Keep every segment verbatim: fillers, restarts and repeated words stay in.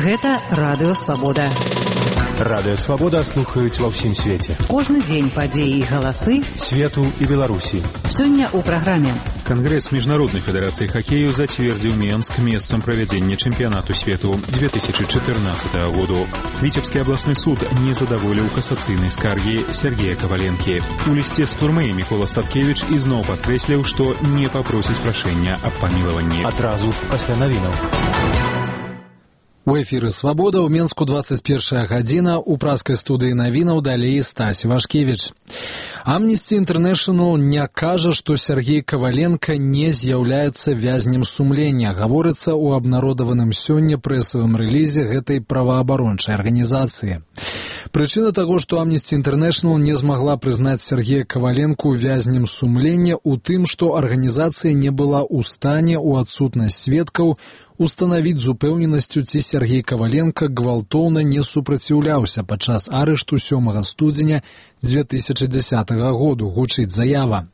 Гэта Радыё Свабода. Радыё Свабода слухаюць ва ўсім свеце. Кожны дзень падзеі і галасы свету і Беларусі. Сёння ў праграме. Конгресс Международной Федерации Хоккею затвердил Минск местом проведения чемпионату свету две тысячи четырнадцатого года. Витебский областный суд не задоволил кассацыйной скарги Сергея Коваленки. У листе з турмы Микола Статкевич ізноў падкрэсліў, што не попросіць прашэння аб памілаванні. Адразу пасля навінаў. У эфіры «Свабода» ў Менску двадцать первая гадзіна, у праскай студыі навінаў далей Стась Вашкевіч. Amnesty International не кажа, што Сергей Коваленко не з'яўляецца вязнем сумлення. Гаворыцца ў абнародаваным сёння прэсавым рэлізе гэтай праваабарончай арганізацыі. Прычына таго, што Amnesty International не змагла прызнаць Сергея Коваленку вязнем сумлення ў тым, што арганізацыя не была ў стане ў адсутнасць сведкаў устанавіць з упэўненасцю, ці Сергей Коваленко гвалтоўна не супраціўляўся падчас арышту сёмага студзеня две тысячи дзесятого году, гучыць заява.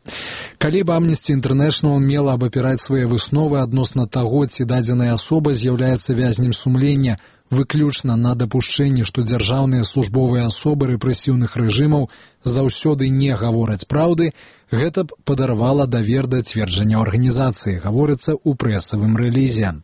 Калі б Amnesty International мела абапіраць свае высновы адносна таго, ці дадзеная асоба з'яўляецца вязнем сумлення, выключна на дапушчэнні, што дзяржаўныя службовыя асобы рэпрэсіўных рэжымаў заўсёды не гавораць праўды, гэта б падарвала давер да цверджання арганізацыі, гаворыцца ў прэсавым рэлізе.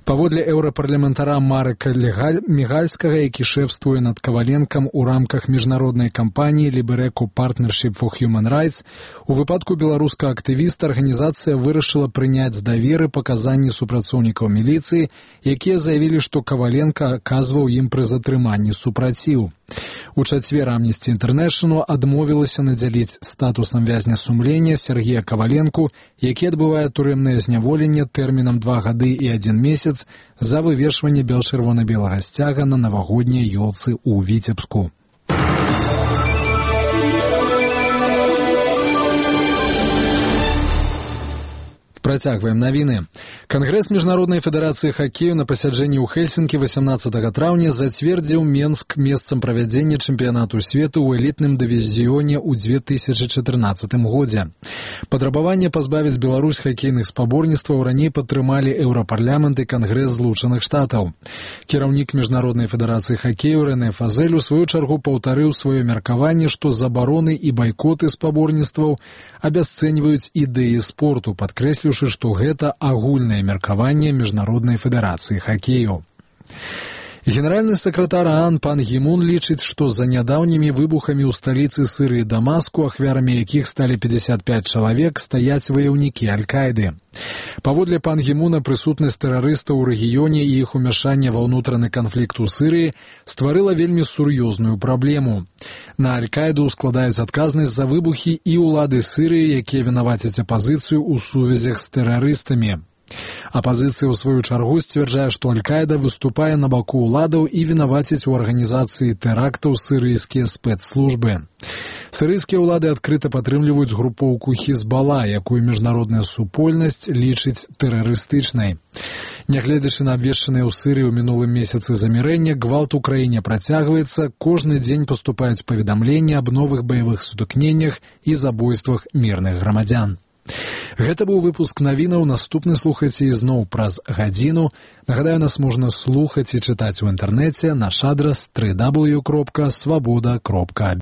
Паводле еўрапарламентара Марека Мігальскага, які шэфствуе над Коваленкам у рамках міжнароднай кампаніі Libereco Partnership for Human Rights, у выпадку беларускага актывіста арганізацыя вырашыла прыняць з даверы паказанні супрацоўнікаў міліцыі, якія заявілі, што Коваленко аказваў ім пры затрыманні супраціў. У чацвер Amnesty International адмовілася надзяліць статусам вязня сумлення Сергея Коваленку, які адбывае турэмнае зняволенне тэрмінам два гады і адзін месяц за вывешванне бел-чырвона-белага сцяга на навагодняй ёлцы ў Віцебску. Працягваем навіны. Конгресс Международной Федерации Хоккею на пасяджэнні ў Хельсінкі восемнадцатого траўня зацвердзіў Менск месцам правядзення чэмпіянату свету ў элітным дывізіёне ў две тысячи четырнадцатым годзе. Патрабаванне пазбавіць Беларусь хакейных спаборніцтваў раней падтрымалі Еўрапарламент і Кангрэс Злучаных Штатаў. Кіраўнік Международной Федерации Хоккею Рэне Фазель у сваю чаргу паўтарыў сваё меркаванне, што забароны і байкоты спаборніцтваў абясцэньваюць ідэі спорту, падкрэсліўшы, што гэта агульнае меркаванне Міжнароднай Федэрацыі Хоккею. Генеральны сакратар ААН пан Гімун лічыць, што за нядаўнімі выбухамі ў сталіцы Сырыі Дамаску, ахвярамі якіх сталі пятьдесят пять чалавек, стаяць ваяўнікі Аль-Каіды. Паводле пан Гімуна, прысутнасць тэрарыстаў у рэгіёне і іх умяшанне ва ўнутраны канфлікт у Сырыі стварыла вельмі сур'ёзную праблему. На Аль-Каіду складаюць адказнасць за выбухі і ўлады Сырыі, якія вінавацяць апазіцыю ў сувязях з тэрарыстамі. Апазіцыя ў сваю чаргу сцвярджае, што Аль-Каіда выступае на баку ўладаў і вінаваціць у арганізацыі тэрактаў сырыйскія спецслужбы. Сырыйскія ўлады адкрыта падтрымліваюць групоўку Хізбала, якую міжнародная супольнасць лічыць тэрарыстычнай. Нягледзячы на абвешчаныя ў Сырыі ў минулым месяцы замірэння, гвалт у краіне працягваецца, кожны дзень паступаюць паведамленні аб новых баявых сутыкненнях і забойствах мірных грамадзян. Гэта быў выпуск навінаў, наступны слухайце ізноў праз гадзіну. Нагадаю, нас можна слухаць і чытаць у інтэрнэце, наш адрас дабл ю дабл ю дабл ю кропка свабода кропка